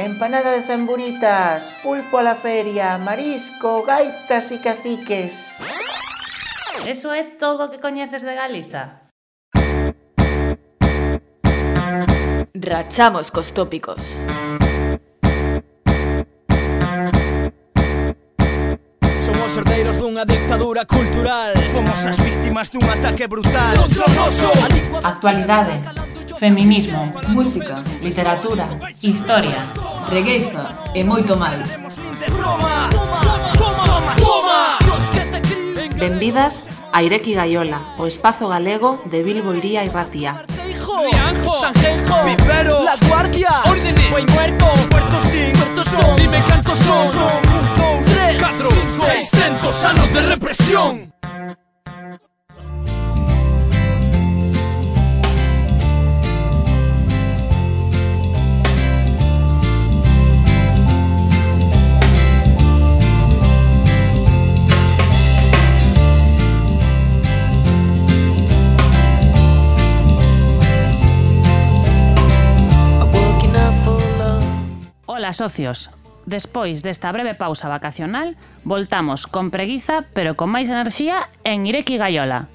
empanada de zamburitas, pulpo a la feria, marisco, gaitas e caciques. Eso é todo o que coñeces de Galiza? Rachamos cos tópicos. Somos herdeiros dunha dictadura cultural. Fomos as víctimas dun ataque brutal contra o noso. Actualidade, feminismo, Música, literatura, historia, regueiza e moito máis. Benvidas a Ireki Gaiola, o espazo galego de Bilbo, Iría e Racía. Rianjo, Sanjenjo, Vivero, La Guardia, Órdenes, Buen Muerto, Puerto Sin, Puerto Son, dime cantos son 1, 2, 3, 4, 5, 600 anos de represión. Ola, socios. Despois desta breve pausa vacacional, voltamos con preguiza, pero con máis enerxía en Ireki Gaiola.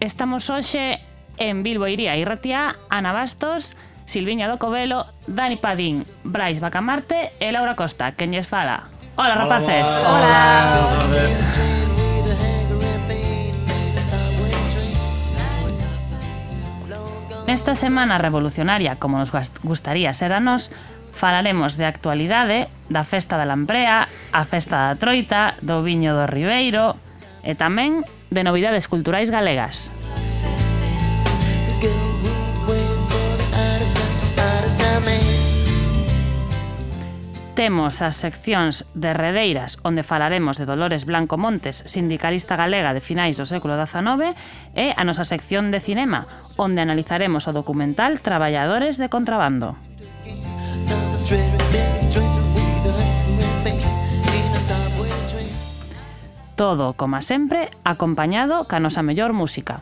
Estamos hoxe en Bilbo, Iría e Ratia, Ana Bastos, Silviña do Covelo, Dani Padín, Brais Bacamarte e Laura Costa, quen lles fala. Ola, rapaces. Nesta semana revolucionaria, como nos gustaría ser a nós, falaremos de actualidade, da festa da Lambrea, a festa da Troita, do viño do Ribeiro e tamén de novidades culturais galegas. Temos as seccións de Redeiras, onde falaremos de Dolores Blanco Montes, sindicalista galega de finais do século XIX, e a nosa sección de cinema, onde analizaremos o documental Traballadores de Contrabando. Todo, como sempre, acompañado ca nosa mellor música.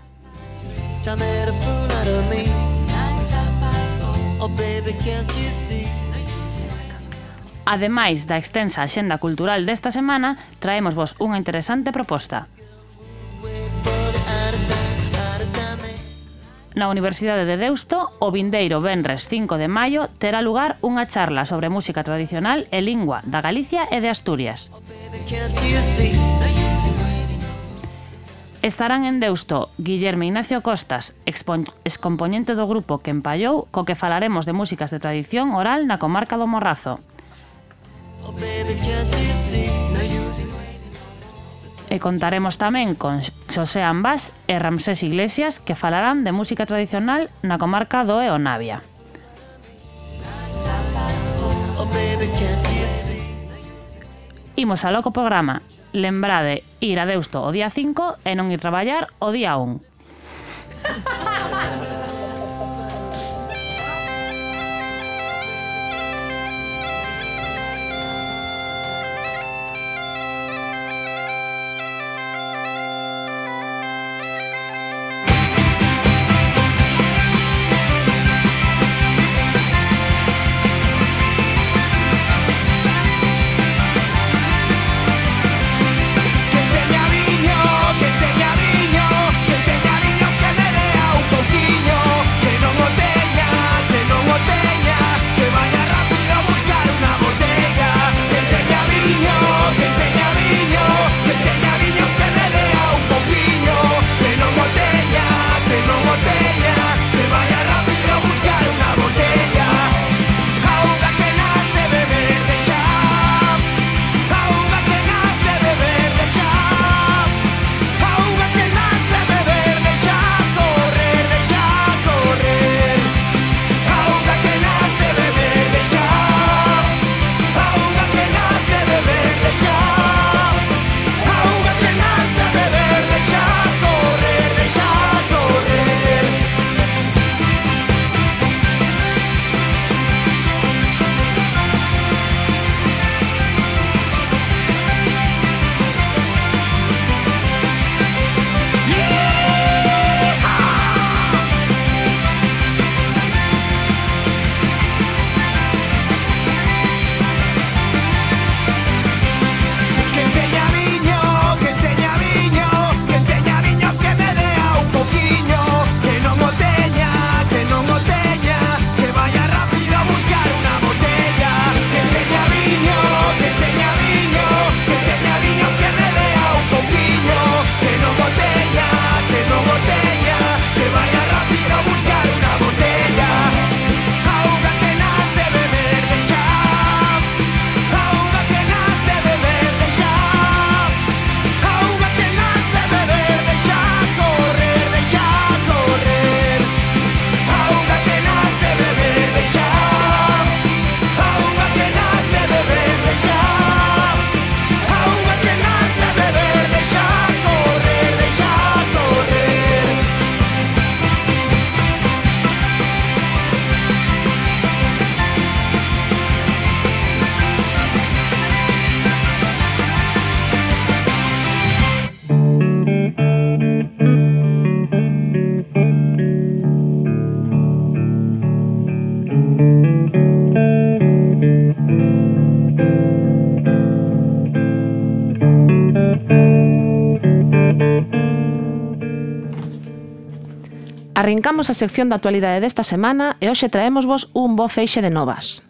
Ademais da extensa axenda cultural desta semana, traémosvos unha interesante proposta. Na Universidade de Deusto, o vindeiro venres 5 de maio, terá lugar unha charla sobre música tradicional e lingua da Galicia e de Asturias. Estarán en Deusto Guillermo Ignacio Costas, excompoñente do grupo que empallou, co que falaremos de músicas de tradición oral na comarca do Morrazo. E contaremos tamén con Xosé Ambás e Ramsés Iglesias, que falarán de música tradicional na comarca do Eo Navia. Imos ao loco programa. Lembrade ir a Deusto o día 5 e non ir traballar o día 1. Que teña viño, que me dea un pouquiño. Arrincamos a sección da actualidade desta semana e hoxe traémosvos un bo feixe de novas.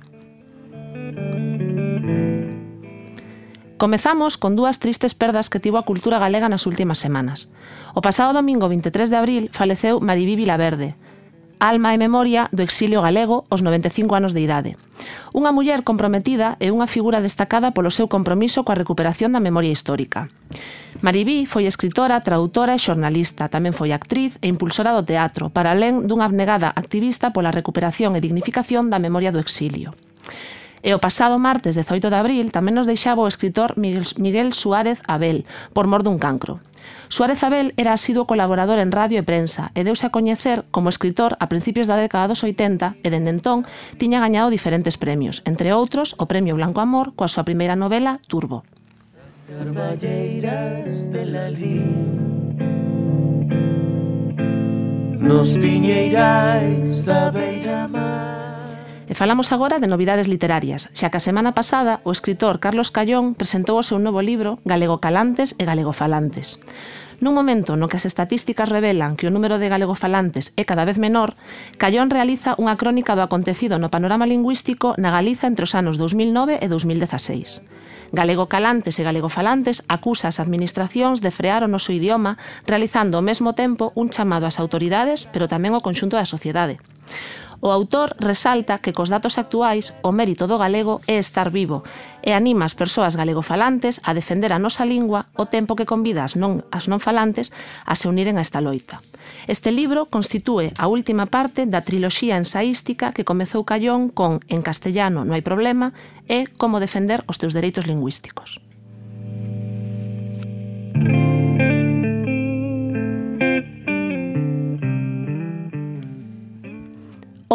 Comezamos con dúas tristes perdas que tivo a cultura galega nas últimas semanas. O pasado domingo 23 de abril faleceu Maribí Vilaverde, alma e memoria do exilio galego aos 95 anos de idade. Unha muller comprometida e unha figura destacada polo seu compromiso coa recuperación da memoria histórica. Maribí foi escritora, tradutora e xornalista, tamén foi actriz e impulsora do teatro, para alén dunha abnegada activista pola recuperación e dignificación da memoria do exilio. E o pasado martes 18 de abril tamén nos deixaba o escritor Miguel Suárez Abel, por mor dun cancro. Suárez Abel era asiduo colaborador en radio e prensa e deuse a coñecer como escritor a principios da década dos 80 e dende entón tiña gañado diferentes premios, entre outros o Premio Blanco Amor coa súa primeira novela Turbo. Carballeiras de Lalín, nos viñeirais da beira-mar. E falamos agora de novidades literarias, xa que a semana pasada o escritor Carlos Callón presentou o seu novo libro Galegocalantes e Galegofalantes. Nun momento no que as estatísticas revelan que o número de galegofalantes é cada vez menor, Callón realiza unha crónica do acontecido no panorama lingüístico na Galiza entre os anos 2009 e 2016. Galegocalantes e galegofalantes acusa as administracións de frear o noso idioma realizando ao mesmo tempo un chamado ás autoridades, pero tamén ao conxunto da sociedade. O autor resalta que cos datos actuais o mérito do galego é estar vivo e anima as persoas galegofalantes a defender a nosa lingua ao tempo que convida as non falantes a se uniren a esta loita. Este libro constitúe a última parte da triloxía ensaística que comezou Callón con En castellano non hai problema e Como defender os teus dereitos lingüísticos.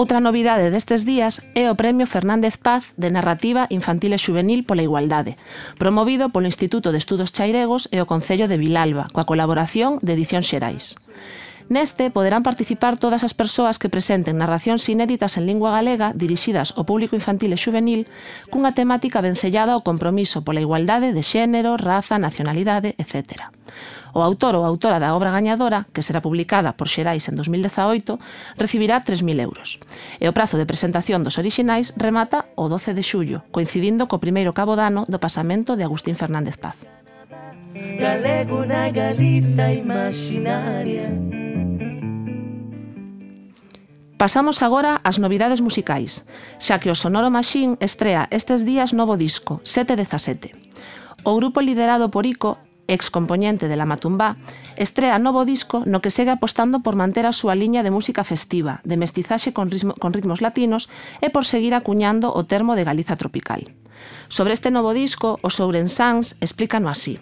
Outra novidade destes días é o Premio Fernández Paz de Narrativa Infantil e Xuvenil pola Igualdade, promovido polo Instituto de Estudos Chairegos e o Concello de Vilalba, coa colaboración de Edicións Xerais. Neste poderán participar todas as persoas que presenten narracións inéditas en lingua galega dirixidas ao público infantil e xuvenil cunha temática vencellada ao compromiso pola igualdade de xénero, raza, nacionalidade, etc. O autor ou autora da obra gañadora, que será publicada por Xerais en 2018, recibirá 3.000 euros. E o prazo de presentación dos orixinais remata o 12 de xullo, coincidindo co primeiro cabo dano do pasamento de Agustín Fernández Paz. Galego na Galiza imaginaria. Pasamos agora ás novidades musicais, xa que o Sonoro Machine estrea estes días novo disco, 717. O grupo liderado por Ico, excompoñente de La Matumbá, estrea novo disco no que segue apostando por manter a súa liña de música festiva, de mestizaxe con ritmos latinos e por seguir acuñando o termo de Galiza tropical. Sobre este novo disco, os ourensáns explícano así.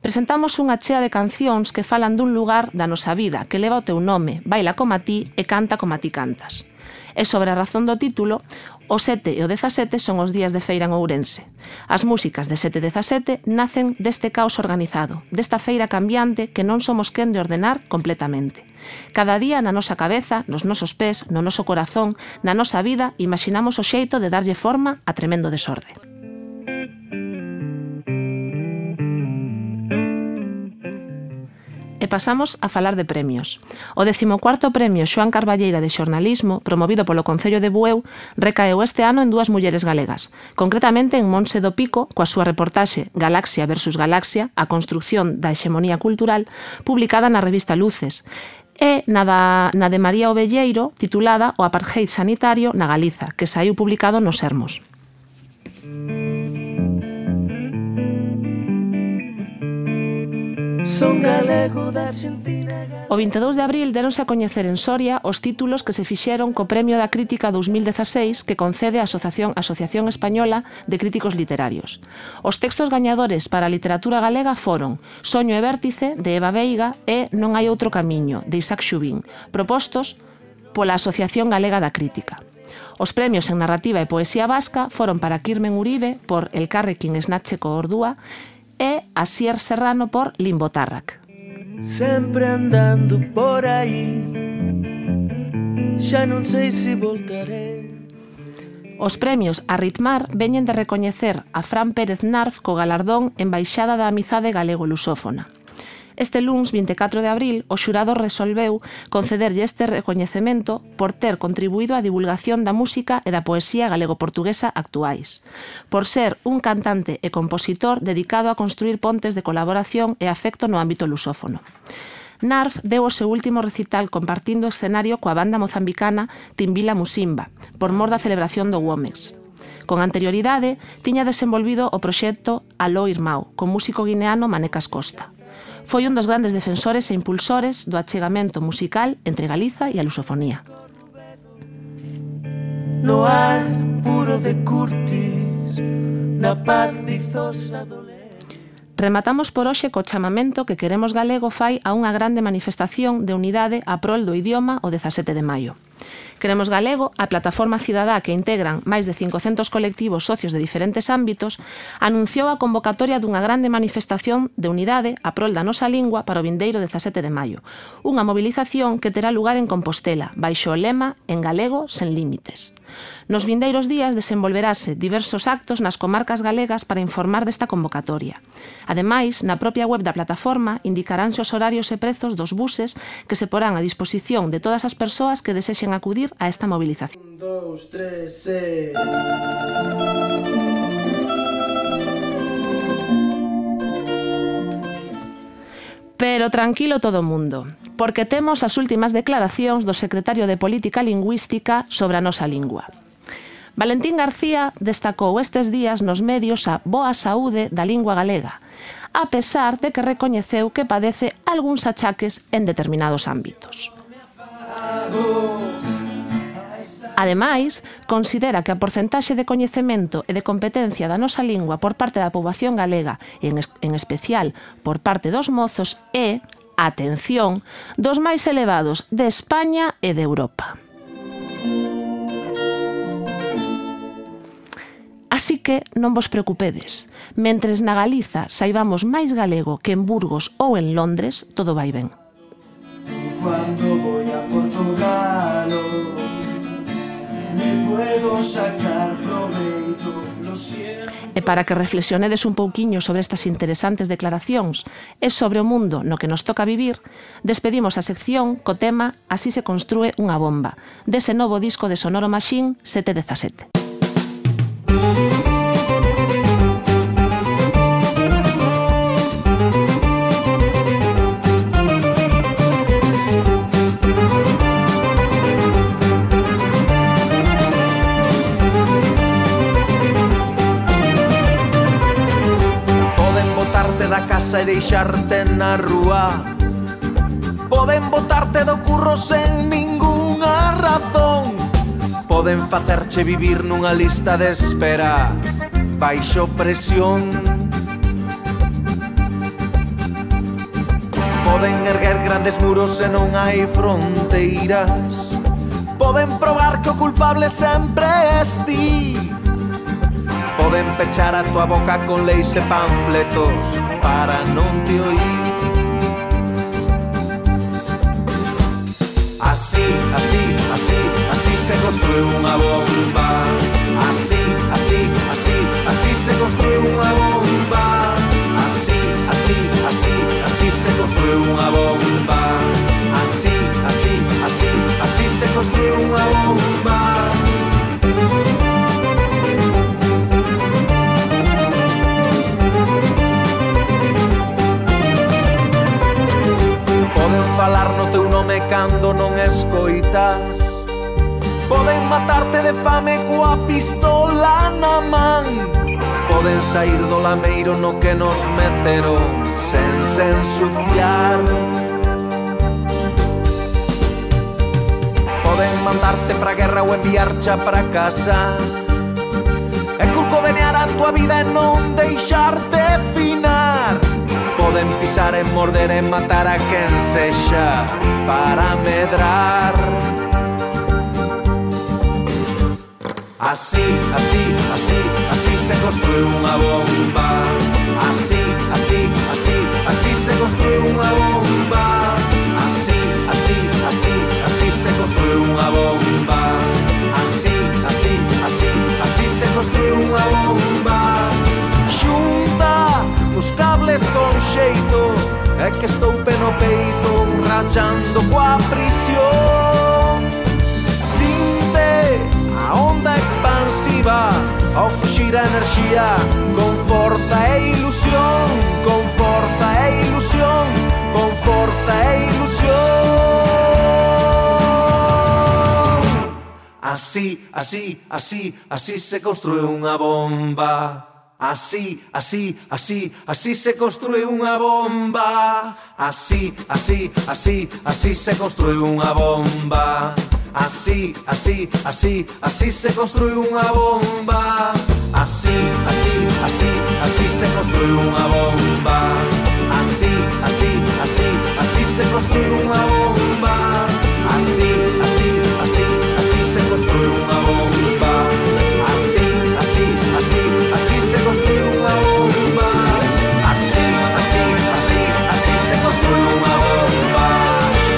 Presentamos unha chea de cancións que falan dun lugar da nosa vida que leva o teu nome, baila como a ti e canta como a ti cantas. E sobre a razón do título, o 7 e o 17 son os días de feira en Ourense. As músicas de 7-17 nacen deste caos organizado, desta feira cambiante que non somos quen de ordenar completamente. Cada día na nosa cabeza, nos nosos pés, no noso corazón, na nosa vida, imaginamos o xeito de darlle forma a tremendo desorde. E pasamos a falar de premios. O 14º Premio Xoán Carballeira de Xornalismo, promovido polo Concello de Bueu, recaeu este ano en dúas mulleres galegas, concretamente en Monse do Pico, coa súa reportaxe Galaxia versus Galaxia, a construción da hexemonía cultural, publicada na revista Luces, e na de María Ovelleiro, titulada O apartheid sanitario na Galiza, que saiu publicado nos Sermos. O 22 de abril deronse a coñecer en Soria os títulos que se fixeron co Premio da Crítica 2016 que concede a Asociación Española de Críticos Literarios. Os textos gañadores para a literatura galega foron Soño e Vértice, de Eva Veiga, e Non hai outro camiño, de Isaac Xubín, propostos pola Asociación Galega da Crítica. Os premios en narrativa e poesía vasca foron para Kirmen Uribe por Elkarrekin Esnatzeko Ordua e Asier Serrano por Limbotarrak. Sempre andando por aí, xa non sei se voltaré. Os premios a Ritmar veñen de recoñecer a Fran Pérez Narf co galardón Embaixada da Amizade Galego-Lusófona. Este luns 24 de abril, o xurado resolveu concederlle este recoñecemento por ter contribuído á divulgación da música e da poesía galego-portuguesa actuais, por ser un cantante e compositor dedicado a construir pontes de colaboración e afecto no ámbito lusófono. Narf deu o seu último recital compartindo escenario coa banda mozambicana Timbila Musimba, por mor da celebración do Womex. Con anterioridade, tiña desenvolvido o proxecto Aló Irmão, con músico guineano Manecas Costa. Foi un dos grandes defensores e impulsores do achegamento musical entre Galiza e a lusofonía. No ar puro de Curtis, na paz dizosa do león. Rematamos por hoxe co chamamento que Queremos Galego fai a unha grande manifestación de unidade a prol do idioma o 17 de maio. Queremos Galego, a plataforma cidadá que integran máis de 500 colectivos socios de diferentes ámbitos, anunciou a convocatoria dunha grande manifestación de unidade a prol da nosa lingua para o vindeiro 17 de maio. Unha movilización que terá lugar en Compostela, baixo o lema En galego sen límites. Nos vindeiros días desenvolverase diversos actos nas comarcas galegas para informar desta convocatoria. Ademais, na propia web da plataforma indicaránse os horarios e prezos dos buses que se porán a disposición de todas as persoas que desexen acudir a esta movilización. 1, 2, 3, Pero tranquilo todo o mundo, porque temos as últimas declaracións do secretario de Política Lingüística sobre a nosa lingua. Valentín García destacou estes días nos medios a boa saúde da lingua galega, a pesar de que recoñeceu que padece algúns achaques en determinados ámbitos. Ademais, considera que a porcentaxe de coñecemento e de competencia da nosa lingua por parte da poboación galega, en especial por parte dos mozos, é, atención, dos máis elevados de España e de Europa. Así que non vos preocupedes. Mentres na Galiza saibamos máis galego que en Burgos ou en Londres, todo vai ben. Cuando voy a Portugal me puedo sacar proveito, lo siento. E para que reflexionedes un pouquiño sobre estas interesantes declaracións e sobre o mundo no que nos toca vivir, despedimos a sección co tema Así se construe unha bomba, dese novo disco de Sonoro Machine 717. Da casa e deixarte na rúa, poden botarte do curro sen ningunha razón, poden facerche vivir nunha lista de espera baixo presión, poden erguer grandes muros e non hai fronteiras, poden probar que o culpable sempre es ti, poden pechar a tua boca con leis e panfletos para non te oír. Así, así, así, así se construe unha bomba. Así, así, así, así se construe unha bomba. Así, así, así, así se construe unha bomba. Así, así, así, así se construe unha bomba. Poden falar no teu nome cando non escoitas, poden matarte de fame coa pistola na man, poden sair do lameiro no que nos meteron sen se ensuciar, poden mandarte pra guerra ou enviarcha pra casa e curcovenear a tua vida e non deixarte finar. Poden pisar e morder e matar a quen sexa para medrar. Así, así, así, así se construe unha bomba. Así, así, así, así se construe unha bomba. Así, así, así, así se construe unha bomba. Así, así, así, así se construe unha bomba. Xunta os cables con xeito e que estou pe no peito rachando coa prisión. Sinte a onda expansiva ao fuxir a enerxía con forza e ilusión, con forza e ilusión, con forza e ilusión. Así, así, así, así se construe unha bomba. Así, así, así, así se construe unha bomba. Así, así, así, así se construe unha bomba. Así, así, así, así se construe unha bomba. Así, así, así, así se construe unha bomba. Así, así, así, así se construe unha bomba. Así, así, así, así se construe unha bomba. Así, así, así, así se construe unha bomba. Así, así, así, así se construe unha bomba.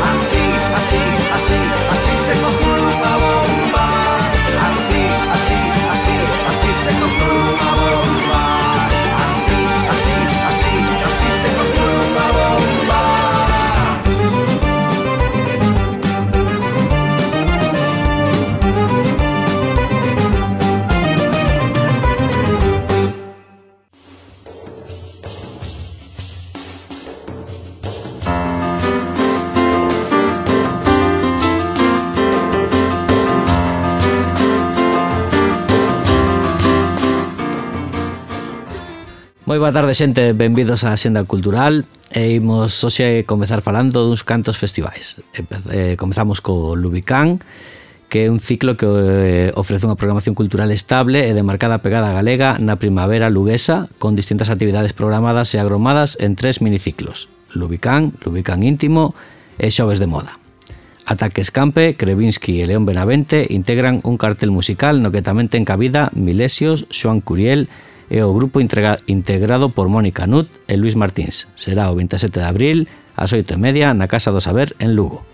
Así, así, así, así se construe unha bomba. Así, así, así, así se construe unha bomba. Así, así, así, así se construe unha bomba. Moi boa tarde, xente, benvidos á Xenda Cultural. E imos hoxe comezar falando duns cantos festivais. Comezamos co Lubicán, que é un ciclo que ofrece unha programación cultural estable e de marcada pegada galega na primavera luguesa, con distintas actividades programadas e agromadas en 3 miniciclos: Lubicán, Lubicán íntimo e Xoves de moda. Ataque Escampe, Krevinsky e León Benavente integran un cartel musical no que tamén ten cabida Milesios, Xoan Curiel e o grupo integrado por Mónica Nut e Luis Martins. Será o 27 de abril ás 8:30 na Casa do Saber en Lugo.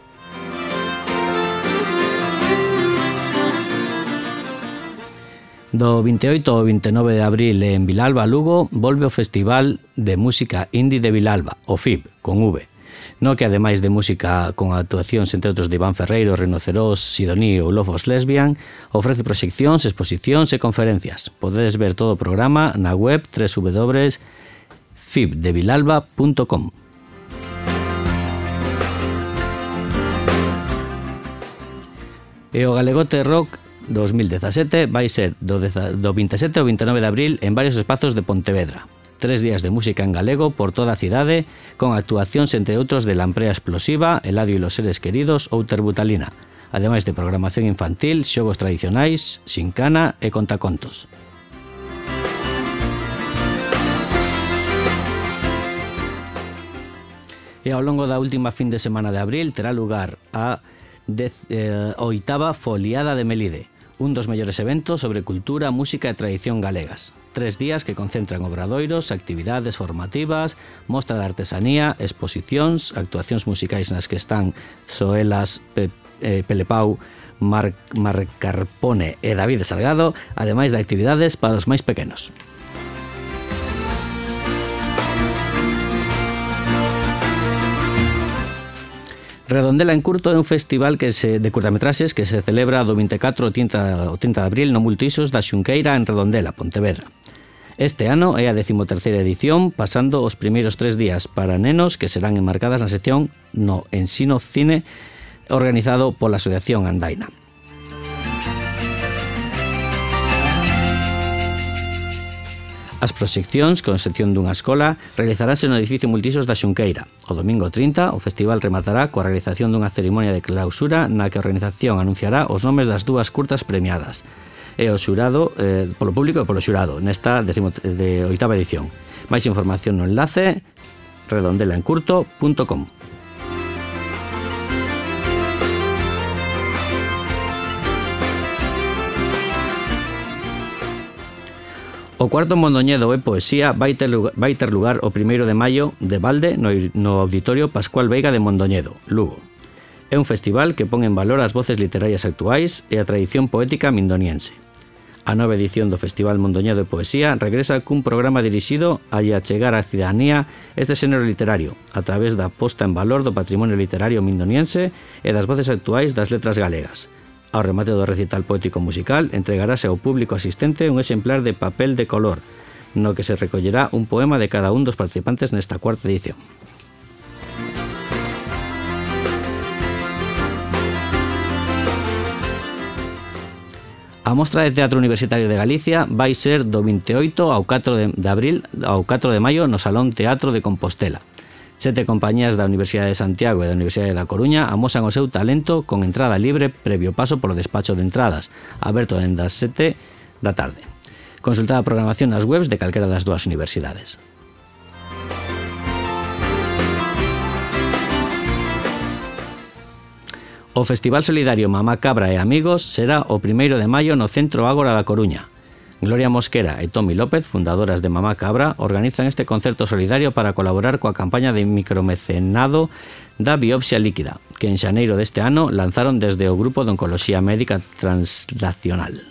Do 28 ao 29 de abril en Vilalba, Lugo, volve o Festival de Música Indie de Vilalba, o FIB, con V, no que ademais de música con actuacións entre outros de Iván Ferreiro, Rinoceros, Sidoní ou Lofos Lesbian, ofrece proxeccións, exposicións e conferencias. Podedes ver todo o programa na web www.fibdevilalba.com. E o Galegote Rock 2017 vai ser do 27 ao 29 de abril en varios espazos de Pontevedra. 3 días de música en galego por toda a cidade, con actuacións entre outros de Lamprea Explosiva, Eladio e los Seres Queridos ou Terbutalina, ademais de programación infantil, xogos tradicionais, xincana e contacontos. E ao longo da última fin de semana de abril terá lugar a 8ª Foliada de Melide, un dos mellores eventos sobre cultura, música e tradición galegas. 3 días que concentran obradoiros, actividades formativas, mostra de artesanía, exposicións, actuacións musicais nas que están Zoelas, Pelepau, Marc Carpone e David Salgado, ademais de actividades para os máis pequenos. Redondela en Curto é un festival de curtametraxes que se celebra do 24 ao 30 de abril no Multiusos da Xunqueira en Redondela, Pontevedra. Este ano é a 13ª edición, pasando os primeiros 3 días para nenos que serán enmarcadas na sección no Ensino Cine organizado pola Asociación Andaina. As proxeccións, con excepción dunha escola, realizaránse no edificio Multiusos da Xunqueira. O domingo 30, o festival rematará coa realización dunha cerimonia de clausura na que a organización anunciará os nomes das 2 curtas premiadas e o xurado, polo público e polo xurado, nesta 18ª edición. Máis información no enlace redondelaencurto.com. O cuarto Mondoñedo e Poesía vai ter lugar o 1º de maio de balde no Auditorio Pascual Veiga de Mondoñedo, Lugo. É un festival que pon en valor as voces literarias actuais e a tradición poética mindoniense. A nova edición do Festival Mondoñedo de Poesía regresa cun programa dirixido a achegar á cidadanía este xénero literario a través da posta en valor do patrimonio literario mindoniense e das voces actuais das letras galegas. Ao remate do recital poético musical entregarase ao público asistente un exemplar de papel de color, no que se recollerá un poema de cada un dos participantes nesta cuarta edición. A Mostra de Teatro Universitario de Galicia vai ser do 28 ao 4 de abril ao 4 de maio no Salón Teatro de Compostela. 7 compañías da Universidade de Santiago e da Universidade da Coruña amosan o seu talento con entrada libre previo paso polo despacho de entradas, aberto dende as 7 da tarde. Consulta a programación nas webs de calquera das dúas universidades. O Festival Solidario Mamá Cabra e Amigos será o 1º de maio no Centro Ágora da Coruña. Gloria Mosquera e Tomi López, fundadoras de Mamá Cabra, organizan este concerto solidario para colaborar coa campaña de micromecenado da biopsia líquida, que en xaneiro deste ano lanzaron desde o Grupo de Oncoloxía Médica Translacional.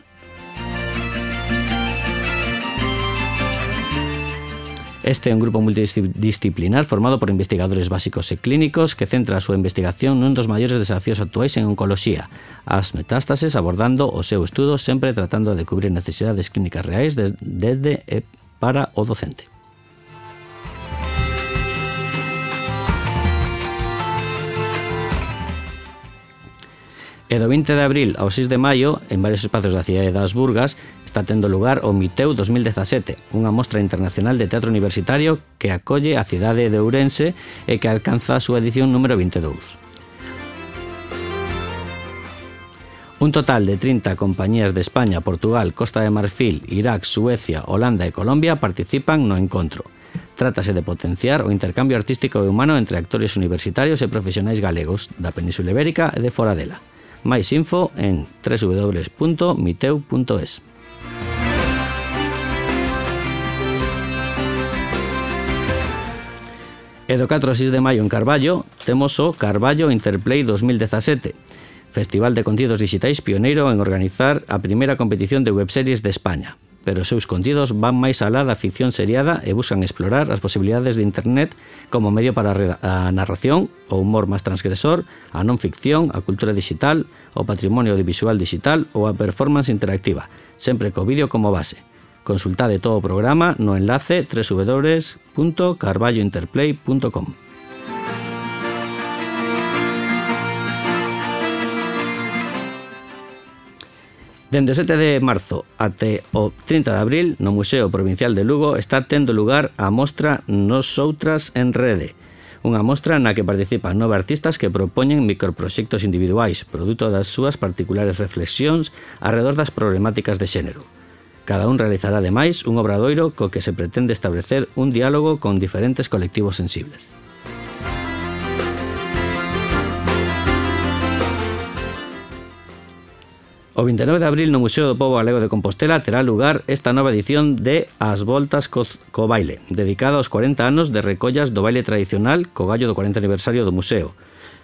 Este é un grupo multidisciplinar formado por investigadores básicos e clínicos que centra a súa investigación nun dos maiores desafíos actuais en oncoloxía, as metástases, abordando o seu estudo sempre tratando de cubrir necesidades clínicas reais desde e para o docente. E do 20 de abril ao 6 de maio, en varios espacios da cidade das Burgas, está tendo lugar o Miteu 2017, unha mostra internacional de teatro universitario que acolle a cidade de Ourense e que alcanza a súa edición número 22. Un total de 30 compañías de España, Portugal, Costa de Marfil, Irak, Suecia, Holanda e Colombia participan no encontro. Trátase de potenciar o intercambio artístico e humano entre actores universitarios e profesionais galegos da Península Ibérica e de fora dela. Máis info en www.miteu.es. E do 4 ao 6 de maio en Carballo temos o Carballo Interplay 2017, festival de contidos digitais pioneiro en organizar a primeira competición de webseries de España, pero os seus contidos van máis alá da ficción seriada e buscan explorar as posibilidades de internet como medio para a narración, o humor máis transgresor, a non ficción, a cultura digital, o patrimonio audiovisual digital ou a performance interactiva, sempre co vídeo como base. Consultade todo o programa no enlace www.carballointerplay.com. Dende o 7 de marzo até o 30 de abril, no Museo Provincial de Lugo está tendo lugar a mostra Nosoutras en Rede, unha mostra na que participan 9 artistas que propoñen microproxectos individuais, produto das súas particulares reflexións arredor das problemáticas de xénero. Cada un realizará ademais un obradoiro co que se pretende establecer un diálogo con diferentes colectivos sensibles. O 29 de abril no Museo do Pobo Galego de Compostela terá lugar esta nova edición de As Voltas co Baile, dedicada aos 40 anos de recollas do baile tradicional co gallo do 40 aniversario do museo.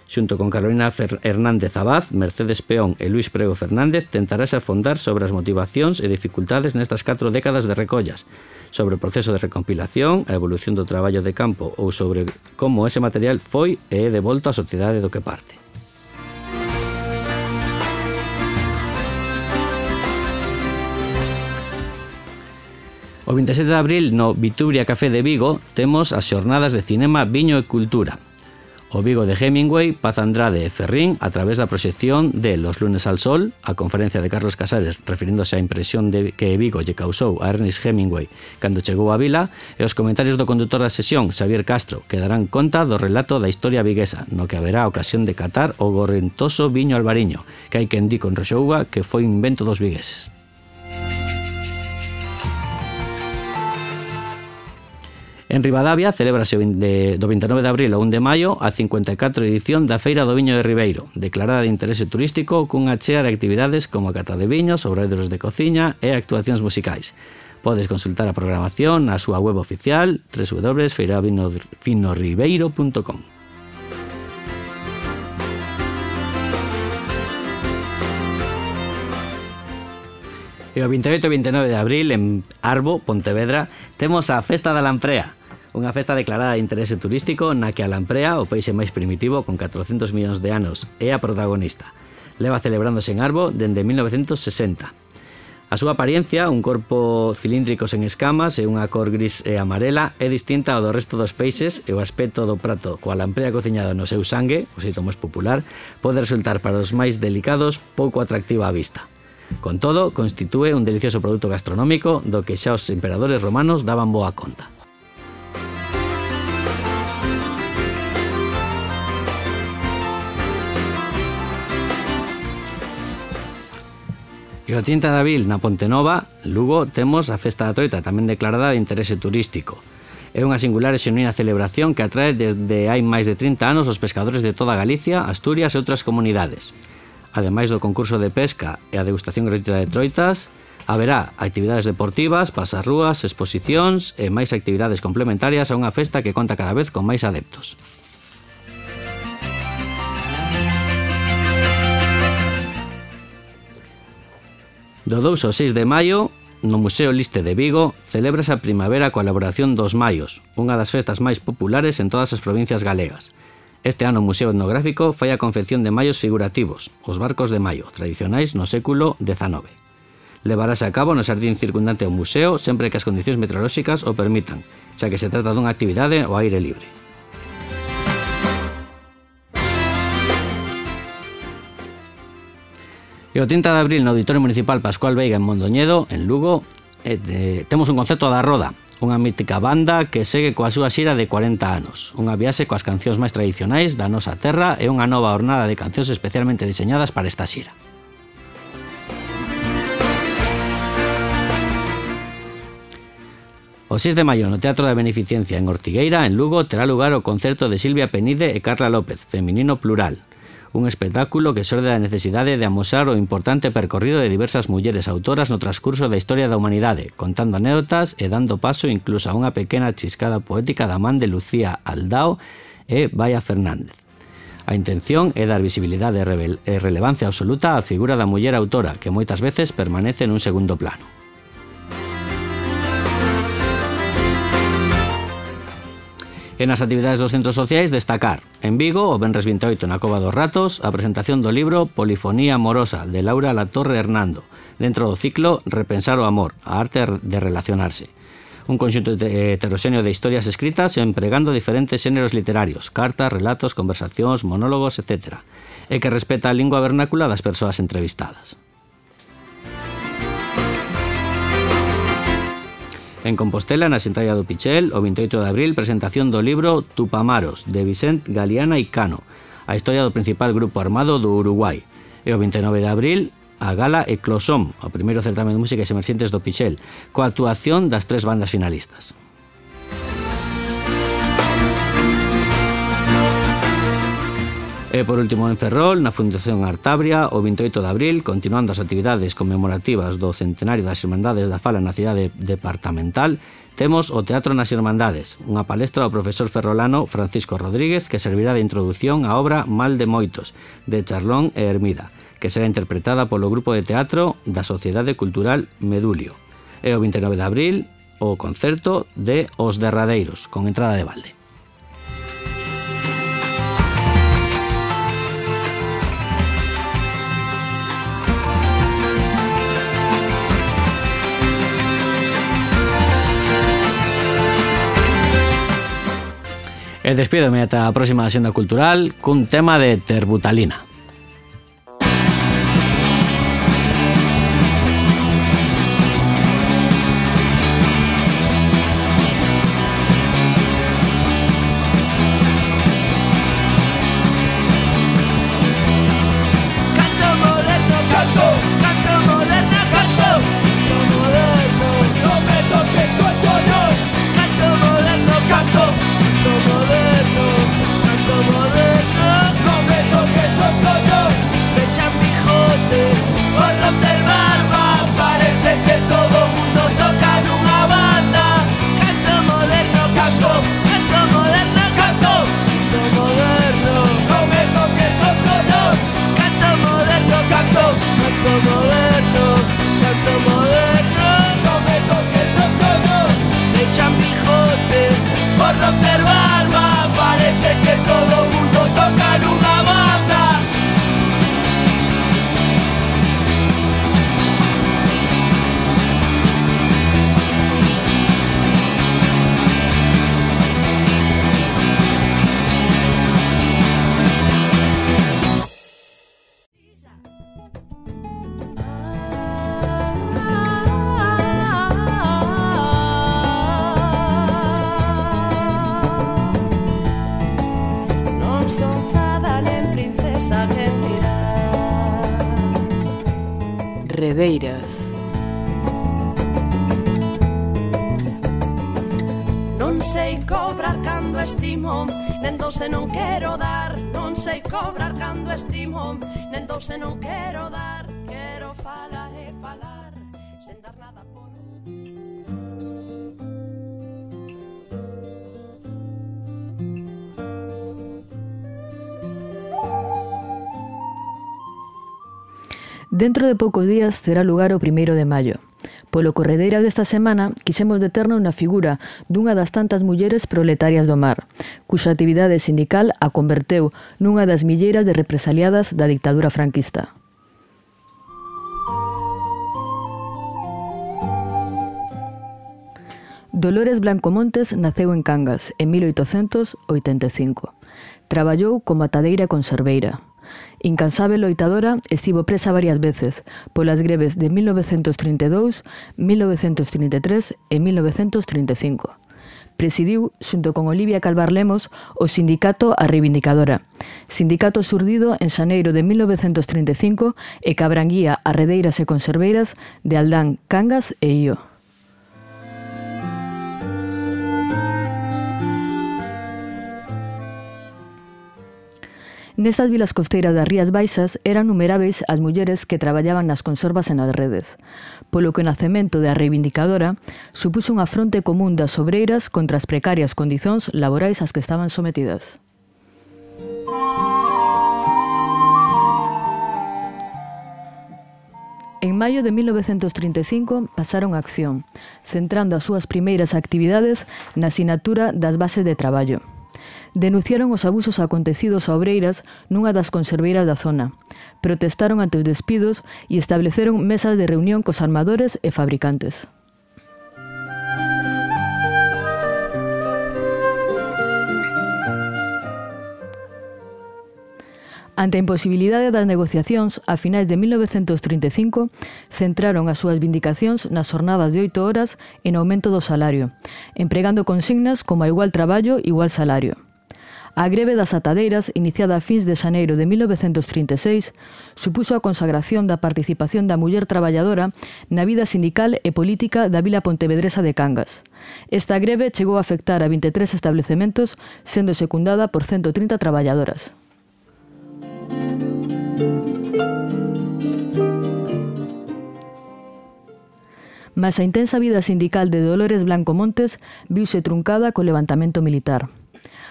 Xunto con Carolina Hernández Abad, Mercedes Peón e Luís Prego Fernández tentarase afondar sobre as motivacións e dificultades nestas 4 décadas de recollas, sobre o proceso de recompilación, a evolución do traballo de campo ou sobre como ese material foi e é devolto á sociedade do que parte. O 27 de abril no Vitubria Café de Vigo temos as xornadas de cinema, viño e cultura. O Vigo de Hemingway, Paz Andrade e Ferrín a través da proxección de Los lunes al sol, a conferencia de Carlos Casares referíndose á impresión que Vigo lle causou a Ernest Hemingway cando chegou a vila, e os comentarios do condutor da sesión, Xavier Castro, que darán conta do relato da historia viguesa, no que haberá ocasión de catar o gorrentoso viño albariño, que hai quen di con rexouga que foi invento dos vigueses. En Ribadavia celébrase do 29 de abril ao 1 de maio a 54 edición da Feira do Viño de Ribeiro, declarada de interese turístico cunha chea de actividades como a cata de viños, obradoiros de cociña e actuacións musicais. Podes consultar a programación na súa web oficial www.feiravinorribeiro.com. E o 28 e 29 de abril en Arbo, Pontevedra, temos a Festa da Lamprea, unha festa declarada de interese turístico na que a lamprea, o peixe máis primitivo con 400 millóns de anos, é a protagonista. Leva celebrándose en Arbo dende 1960. A súa apariencia, un corpo cilíndrico sen escamas e unha cor gris e amarela, é distinta ao do resto dos peixes e o aspecto do prato coa lamprea cociñada no seu sangue, o xeito máis popular, pode resultar para os máis delicados pouco atractiva á vista. Con todo, constitúe un delicioso produto gastronómico do que xa os emperadores romanos daban boa conta. E o 30 de abril na Ponte Nova, Lugo, temos a Festa da Troita, tamén declarada de interese turístico. É unha singular e xenuína celebración que atrae desde hai máis de 30 anos os pescadores de toda Galicia, Asturias e outras comunidades. Ademais do concurso de pesca e a degustación gratuita de troitas, haberá actividades deportivas, pasarrúas, exposicións e máis actividades complementarias a unha festa que conta cada vez con máis adeptos. Do 2 ao 6 de maio, no Museo Liste de Vigo, celébrase a primavera coa elaboración dos maios, unha das festas máis populares en todas as provincias galegas. Este ano o Museo Etnográfico fai a confección de maios figurativos, os barcos de maio, tradicionais no século XIX. Levarase a cabo no xardín circundante ao museo sempre que as condicións meteorolóxicas o permitan, xa que se trata dunha actividade ao aire libre. E o 30 de abril no Auditorio Municipal Pascual Veiga en Mondoñedo, en Lugo, temos un concerto da Roda, unha mítica banda que segue coa súa xira de 40 anos. Unha viaxe coas cancións máis tradicionais da nosa terra e unha nova hornada de cancións especialmente diseñadas para esta xira. O 6 de maio no Teatro da Beneficencia en Ortigueira, en Lugo, terá lugar o concerto de Silvia Penide e Carla López, feminino plural. Un espectáculo que xorde da necesidade de amosar o importante percorrido de diversas mulleres autoras no transcurso da historia da humanidade, contando anécdotas e dando paso incluso a unha pequena chiscada poética da man de Lucía Aldao e Baia Fernández. A intención é dar visibilidade e relevancia absoluta á figura da muller autora, que moitas veces permanece nun segundo plano. E nas actividades dos centros sociais, destacar en Vigo, o venres 28 na Cova dos Ratos, a presentación do libro Polifonía amorosa, de Laura Latorre Hernando, dentro do ciclo Repensar o amor, a arte de relacionarse. Un conxunto heteroxéneo de historias escritas empregando diferentes xéneros literarios, cartas, relatos, conversacións, monólogos, etc. E que respeta a lingua vernácula das persoas entrevistadas. En Compostela, na Xentalla do Pichel, o 28 de abril, presentación do libro Tupamaros, de Vicent Galiana e Cano, a historia do principal grupo armado do Uruguai. E o 29 de abril, a gala Eclosom, o primeiro certamen de músicas emerxentes do Pichel, coa actuación das 3 bandas finalistas. E por último en Ferrol, na Fundación Artabria, o 28 de abril, continuando as actividades conmemorativas do centenario das Irmandades da Fala na cidade departamental, temos o Teatro nas Irmandades, unha palestra ao profesor ferrolano Francisco Rodríguez que servirá de introdución á obra Mal de Moitos, de Charlón e Hermida, que será interpretada polo grupo de teatro da Sociedade Cultural Medulio. E o 29 de abril, o concerto de Os Derradeiros, con entrada de balde. E despídome ata a próxima Axenda Cultural cun tema de Terbutalina. Canto moderno, no me toques, corredeiras. Non sei cobrar cando estimo, nen doce non quero dar. Non sei cobrar cando estimo, nen doce non quero dar. Quero falar e falar, sen dar nada por... Dentro de poucos días terá lugar o 1º de maio. Polo corredeira desta semana quixemos deternos na figura dunha das tantas mulleres proletarias do mar, cuxa actividade sindical a converteu nunha das milleiras de represaliadas da dictadura franquista. Dolores Blanco Montes naceu en Cangas en 1885. Traballou como atadeira e conserveira. Incansável loitadora, estivo presa varias veces polas greves de 1932, 1933 e 1935. Presidiu, xunto con Olivia Calvar Lemos, o sindicato A Reivindicadora, sindicato surdido en xaneiro de 1935 e que abranguía as redeiras e conserveiras de Aldán, Cangas e Io. Nestas vilas costeiras das Rías Baixas eran numeráveis as mulleres que traballaban nas conservas e nas redes, polo que o nacemento da Reivindicadora supuxo unha fronte común das obreiras contra as precarias condicións laborais ás que estaban sometidas. En maio de 1935 pasaron a acción, centrando as súas primeiras actividades na sinatura das bases de traballo. Denunciaron os abusos acontecidos a obreiras nunha das conserveiras da zona, protestaron ante os despidos e estableceron mesas de reunión cos armadores e fabricantes. Ante a imposibilidade das negociacións, a finais de 1935, centraron as súas vindicacións nas jornadas de 8 horas en aumento do salario, empregando consignas como a igual traballo, igual salario. A greve das atadeiras, iniciada a fins de xaneiro de 1936, supuxo a consagración da participación da muller traballadora na vida sindical e política da vila pontevedresa de Cangas. Esta greve chegou a afectar a 23 establecementos, sendo secundada por 130 traballadoras. Mas a intensa vida sindical de Dolores Blanco Montes viuse truncada co levantamento militar.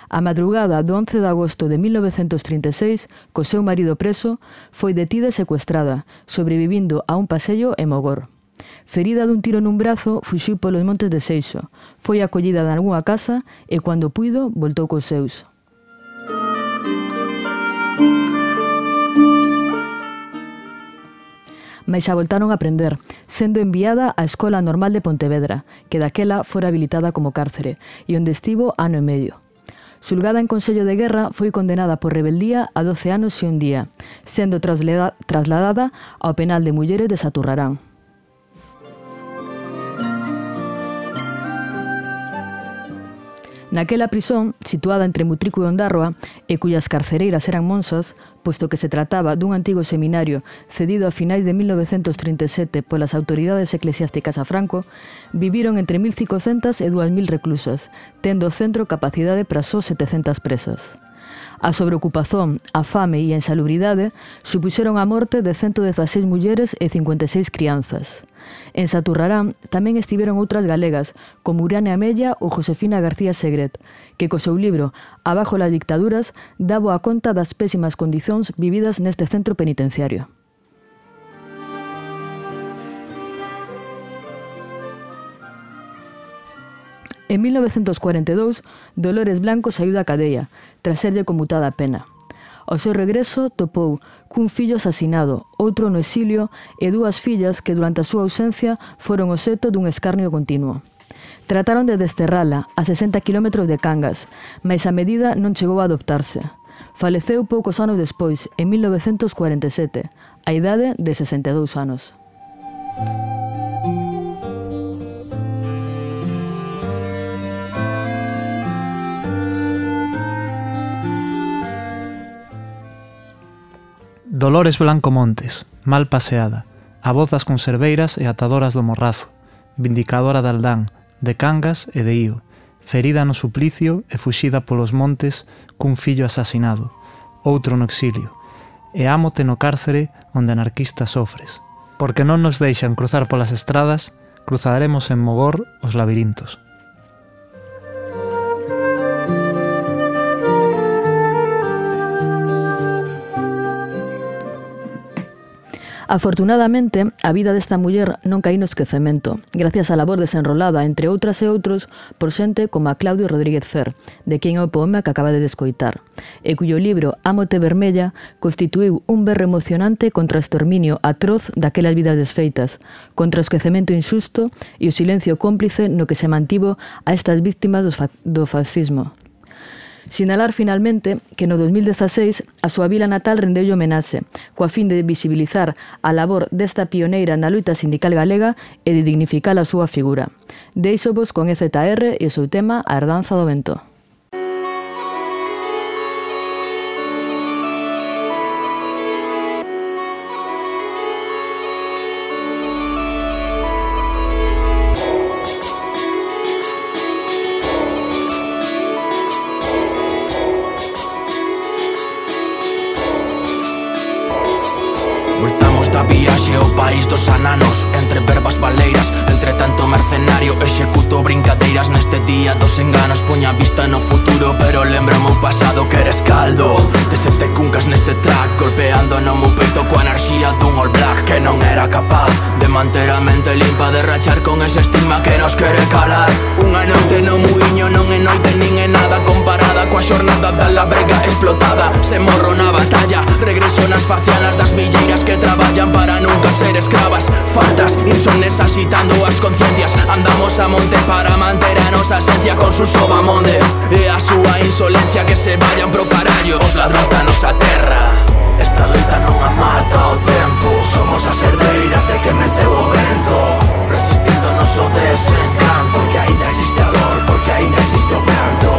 A madrugada do 11 de agosto de 1936, co seu marido preso, foi detida e secuestrada, sobrevivindo a un pasello en Mogor. Ferida dun tiro nun brazo, fuxiu polos montes de Seixo, foi acollida nalgunha casa e, cando puido, voltou cos seus. Mais a voltaron a prender, sendo enviada á Escola Normal de Pontevedra, que daquela fora habilitada como cárcere, e onde estivo ano e medio. Xulgada en Consello de Guerra, foi condenada por rebeldía a 12 anos e un día, sendo trasladada ao penal de mulleres de Saturrarán. Naquela prisón, situada entre Mutrico e Ondárroa, e cuyas carcereiras eran monsas, posto que se trataba dun antigo seminario cedido a finais de 1937 polas autoridades eclesiásticas a Franco, viviron entre 1.500 e 2.000 reclusas, tendo o centro capacidade para só 700 presas. A sobreocupación, a fame e a insalubridade supuxeron a morte de 116 mulleres e 56 crianzas. En Saturrarán tamén estiveron outras galegas, como Urania Mella ou Josefina García Segret, que co seu libro Abajo las dictaduras daba a conta das pésimas condicións vividas neste centro penitenciario. En 1942, Dolores Blanco saiu da cadea, tras serlle conmutada a pena. Ao seu regreso, topou cun fillo asasinado, outro no exilio e dúas fillas que durante a súa ausencia foron obxecto dun escarnio continuo. Trataron de desterrala a 60 km de Cangas, mais a medida non chegou a adoptarse. Faleceu poucos anos despois, en 1947, a idade de 62 anos. Dolores Blanco Montes, mal paseada, a voz das conserveiras e atadoras do Morrazo, vindicadora de Aldán, de Cangas e de Ío, ferida no suplicio e fuxida polos montes cun fillo asasinado, outro no exilio, e ámote no cárcere onde anarquistas sofres. Porque non nos deixan cruzar polas estradas, cruzaremos en Mogor os labirintos. Afortunadamente, a vida desta muller non caí no esquecemento, gracias á labor desenrolada, entre outras e outros, por xente como a Claudio Rodríguez Fer, de quen é o poema que acaba de descoitar, e cuyo libro Ámote Vermella constituíu un berro emocionante contra o exterminio atroz daquelas vidas desfeitas, contra o esquecemento injusto e o silencio cómplice no que se mantivo a estas víctimas do fascismo. Sinalar finalmente que no 2016 a súa vila natal rendeulle homenaxe, coa fin de visibilizar a labor desta pioneira na loita sindical galega e de dignificar a súa figura. Deixovos con EZR e o seu tema A herdanza do vento. Voltamos da viaxe ao país dos ananos, entre verbas baleiras, entre tanto mercenario executo brincadeiras neste día dos enganos. Poña vista no futuro, pero lembro o meu pasado que eres caldo de sete cuncas neste track, golpeando no meu peito coa enerxía dun all black que non era capaz de manter a mente limpa, de rachar con ese estigma que nos quere calar. Unha noite no muiño non é noite nin é nada comparada coa xornada da labrega explotada. Se morro na batalla, regreso nas facianas das milleiras que traballan para nunca ser escravas. Faltas, insomnes agitando as conciencias, andamos a monte para manter a nosa esencia con su sobamonde e a súa insolencia que se vayan pro carallo os ladróns da nosa terra. Esta loita non a mata o tempo, somos as herdeiras de que menceu o vento, resistindo o noso desencanto, porque ainda existe a dor, porque ainda existe o pranto.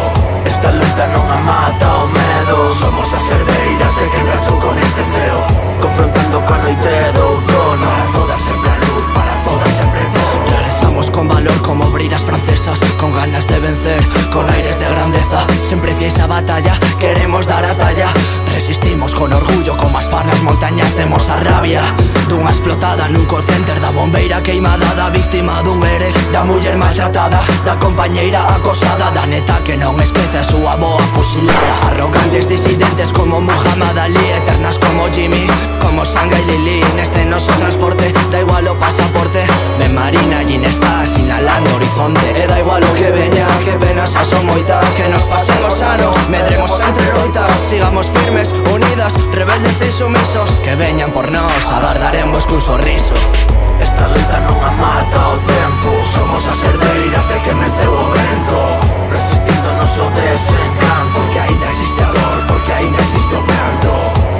Esta loita non a mata o medo, somos as herdeiras de que rachou con este ceo, confrontando coa noite do outono. Para todas sempre a luz, para todas sempre todo. Regresamos con valor como obreiras francesas, con ganas de vencer, con aires de grandeza, sempre fiéis a batalla, queremos dar a talla. Resistimos con orgullo como as fanas montañas, temos a rabia dunha explotada nun call center, da bombeira queimada, da víctima dun ere, da muller maltratada, da compañeira acosada, da neta que non esquece a súa boa fusilada. Arrogantes disidentes como Muhammad Ali, eternas como Jimmy, como Sanga y Lili, neste noso transporte, da igual o pasaporte. Me marina allí está sinalando horizonte, e da igual o que veña, que penas xa son moitas, que nos pasen os anos, medremos entre loitas, sigamos firmes, unidas, rebeldes e insumisos, que veñan por nós, agardaremos cun sorriso. Esta loita non a mata o tempo, somos as herdeiras de que menceu o vento, resistindo o noso desencanto, porque ainda existe a dor, porque ainda existe o pranto.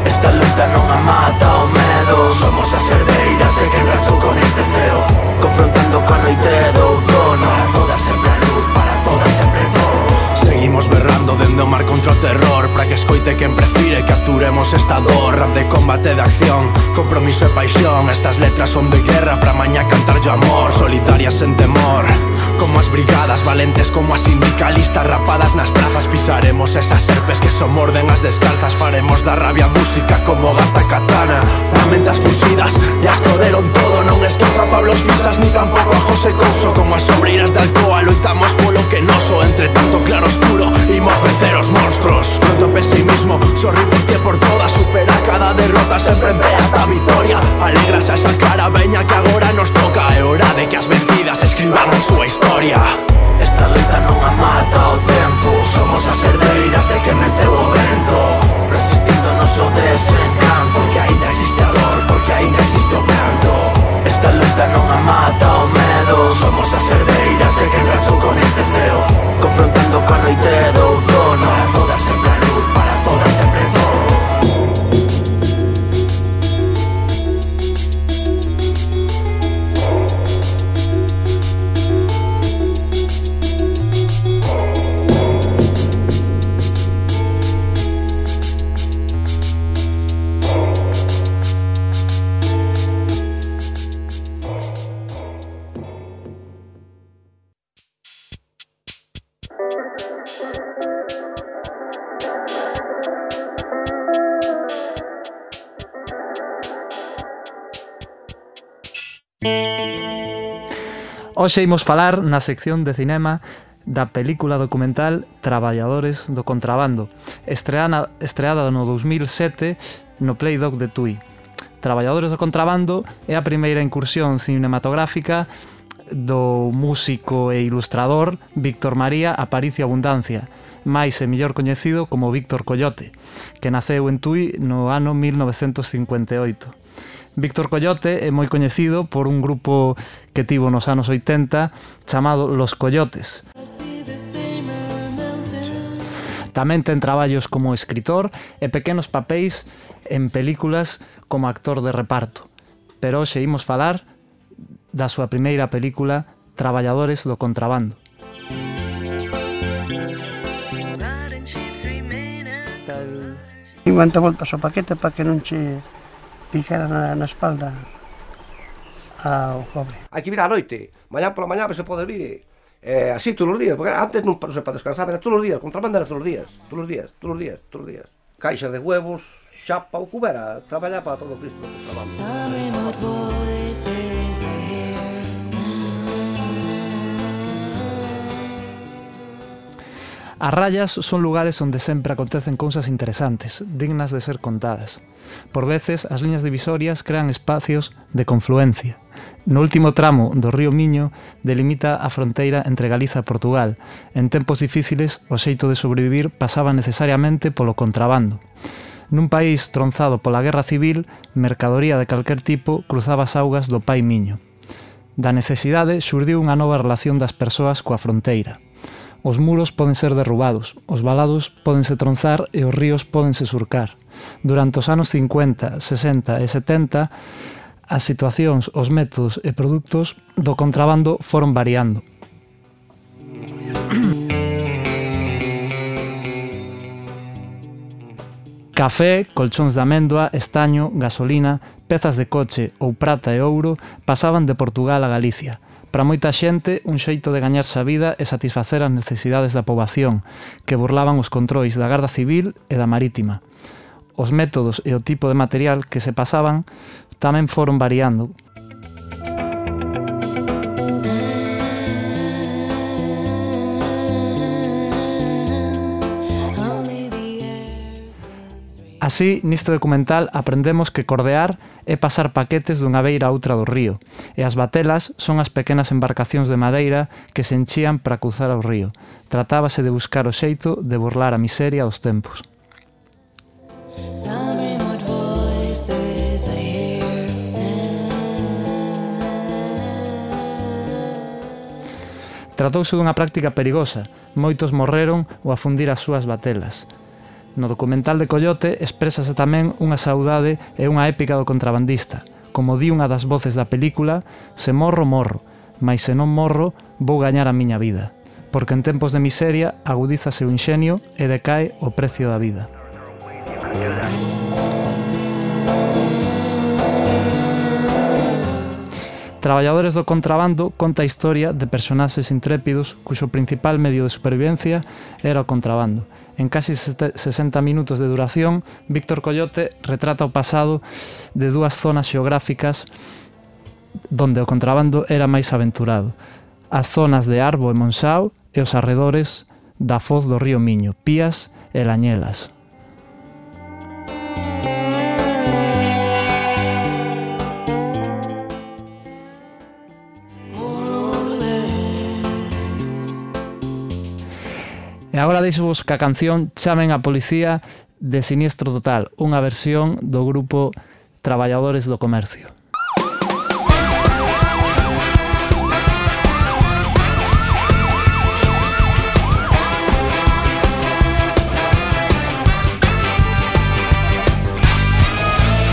Esta loita non a mata o medo, somos as herdeiras de que rachou con este ceo, confrontando coa noite do outono. Para todas sempre a luz, para todas sempre todo. Seguimos berrando dende o mar contra o terror, para que escoite quen prefire, capturemos esta dor. Rap de combate de acción, compromiso e paixón, estas letras son de guerra, para mañá cantar yo amor, solitarias sen temor, como as brigadas, valentes como as sindicalistas, rapadas nas prazas, pisaremos esas serpes que son morden as descalzas, faremos da rabia música como gata katana, lamentas fusidas, e as coderon todo, non esquezo a Pablo Fisas, ni tampouco a José Couso, como as obreiras de Alcoa, loitamos polo que noso, entre tanto claro oscuro, imos vencer os monstruos, pronto pesimismo, sorri por ti e por todas, supera cada derrota, sempre en pé ata a vitoria, alegras a esa cara, veña que agora nos toca, é hora de que as vencidas escriban a súa historia. Esta loita non a mata o tempo, somos as herdeiras de que menceu o vento, resistindo o noso desencanto, porque ainda existe a dor, porque ainda existe o pranto. Esta loita non a mata o medo, somos as herdeiras de que rachou con este ceo, confrontando coa noite do outono. Para todas sempre a luz, para todas sempre todo. Hoxe imos falar na sección de cinema da película documental Traballadores do Contrabando, estreada no 2007 no Playdoc de Tui. Traballadores do Contrabando é a primeira incursión cinematográfica do músico e ilustrador Víctor María Aparicio Abundancia, máis e mellor coñecido como Víctor Coyote, que naceu en Tui no ano 1958. Víctor Coyote é moi coñecido por un grupo que tivo nos anos 80 chamado Los Coyotes. Tamén ten traballos como escritor e pequenos papéis en películas como actor de reparto. Pero hoxe imos falar da súa primeira película Traballadores do Contrabando. Levanta voltas ao paquete para que non che picara na espalda ao cobre. Hai que vir á noite, mañá pola mañá se pode vir, así todos os días, porque antes non se para descansar, era todos os días, contrabando era todos os días. Caixas de huevos, chapa ou cubera, traballar para todo Cristo. As rayas son lugares onde sempre acontecen cousas interesantes, dignas de ser contadas. Por veces, as liñas divisorias crean espacios de confluencia. No último tramo do río Miño delimita a fronteira entre Galiza e Portugal. En tempos difíciles, o xeito de sobrevivir pasaba necesariamente polo contrabando. Nun país tronzado pola guerra civil, mercadoría de calquer tipo cruzaba as augas do Pai Miño. Da necesidade xurdiu unha nova relación das persoas coa fronteira. Os muros poden ser derrubados, os valados pódense tronzar e os ríos pódense surcar. Durante os anos 50, 60 e 70, as situacións, os métodos e produtos do contrabando foron variando. Café, colchóns de amendoa, estaño, gasolina, pezas de coche ou prata e ouro pasaban de Portugal a Galicia. Para moita xente, un xeito de gañarse a vida e satisfacer as necesidades da poboación, que burlaban os controis da Garda Civil e da Marítima. Os métodos e o tipo de material que se pasaban tamén foron variando. Así, neste documental aprendemos que cordear é pasar paquetes dunha beira a outra do río, e as batelas son as pequenas embarcacións de madeira que se enchían para cruzar o río. Tratábase de buscar o xeito de burlar a miseria aos tempos. Tratouse dunha práctica perigosa. Moitos morreron ao afundir as súas batelas. No documental de Coyote exprésase tamén unha saudade e unha épica do contrabandista. Como di unha das voces da película, se morro, morro, mais se non morro, vou gañar a miña vida. Porque en tempos de miseria agudízase o inxenio e decae o precio da vida. Traballadores do Contrabando conta a historia de personaxes intrépidos cuxo principal medio de supervivencia era o contrabando. En casi 60 minutos de duración, Víctor Coyote retrata o pasado de dúas zonas xeográficas donde o contrabando era máis aventurado. As zonas de Arbo e Monsao e os arredores da foz do río Miño, Pías e Lañelas. E agora deixo-vos ca canción Chamen a Policía de Siniestro Total, unha versión do grupo Traballadores do Comercio.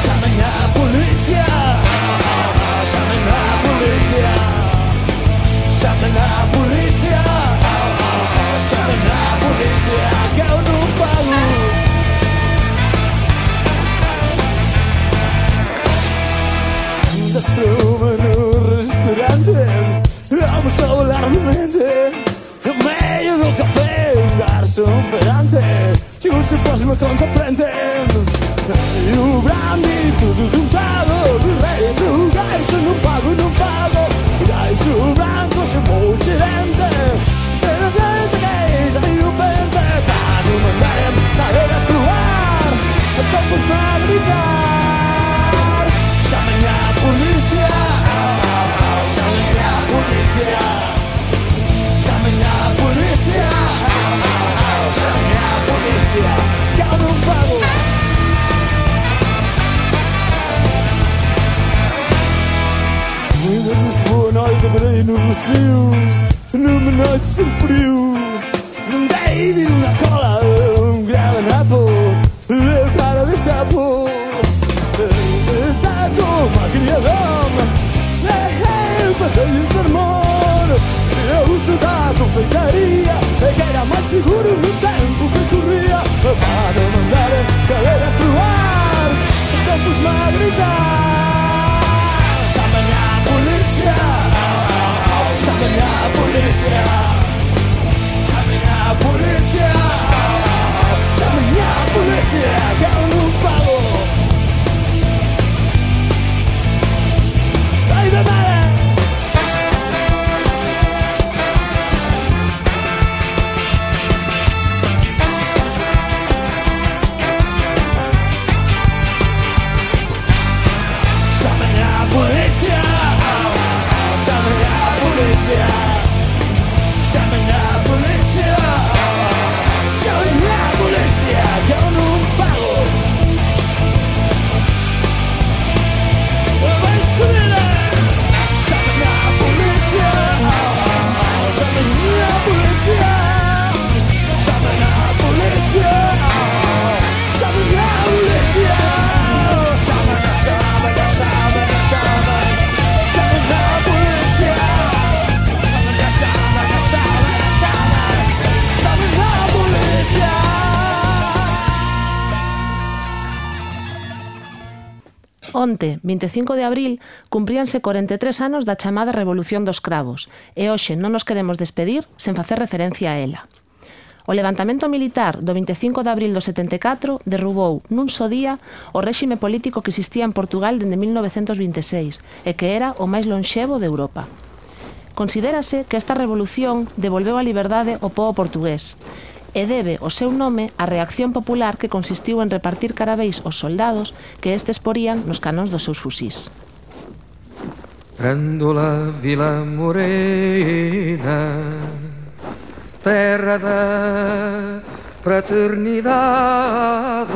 Chamen a policía, chamen a policía, chamen a policía, chamen a policía, que eu non pago. Desprome no restaurante, vamos a volar de mente. No medio do café, un garçom perante, chegou se pós-me conta frente. E o brandy, tudo juntado, do rei do gajo, non pago, non pago. Gajo branco no macio, numa noite sem frio. Não dei uma cola, guardanapo, cara de sapo. Está como a criadona, passei o sermão. Se eu estudar confeitaria, que era mais seguro no tempo que corria. Para mandar cadeiras pro ar, tempos-me a gritar. Chamem a polícia, chamem a polícia, chamem a polícia, chamem a polícia, que eu não pago. Vai da mala. Polícia, chamem a polícia, chamem a polícia, chamem a polícia, que eu não pago. Vai subir, chamem a polícia, chamem a polícia, chamem a polícia, chamem a polícia, chamem a Onte, 25 de abril, cumpríanse 43 anos da chamada Revolución dos Cravos e hoxe non nos queremos despedir sen facer referencia a ela. O levantamento militar do 25 de abril do 74 derrubou nun só día o réxime político que existía en Portugal dende 1926 e que era o máis lonxevo de Europa. Considérase que esta revolución devolveu a liberdade ao pobo portugués e debe o seu nome á reacción popular que consistiu en repartir carabéis aos soldados que estes porían nos canóns dos seus fusís. Grândola Vila Morena, terra da fraternidade,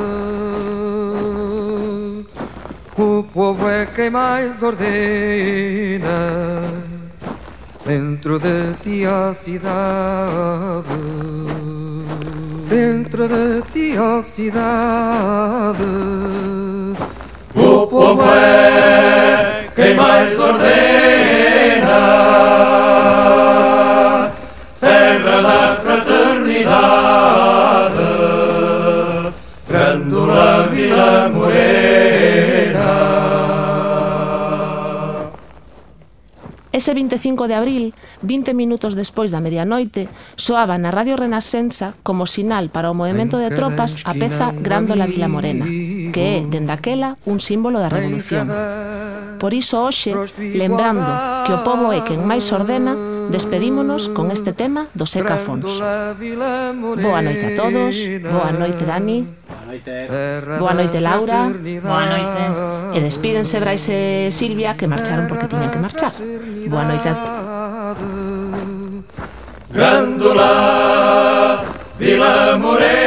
o povo é quem mais ordena dentro de ti a cidade. Dentro de ti, ó cidade, o povo é quem mais ordena, terra da fraternidade, Grândola Vila Morena. Ese 25 de abril, 20 minutos despois da medianoite, soaba na Radio Renascença como sinal para o movimento de tropas a peza Grândola Vila Morena, que é, dende aquela, un símbolo da revolución. Por iso hoxe, lembrando que o povo é quen máis ordena, despedímonos con este tema do Seca Afonso. Boa noite a todos, boa noite Dani, boa noite Laura, boa noite. E despídense Brais e Silvia, que marcharon porque tiñan que marchar. Boa noite a Grândola Vila Morena.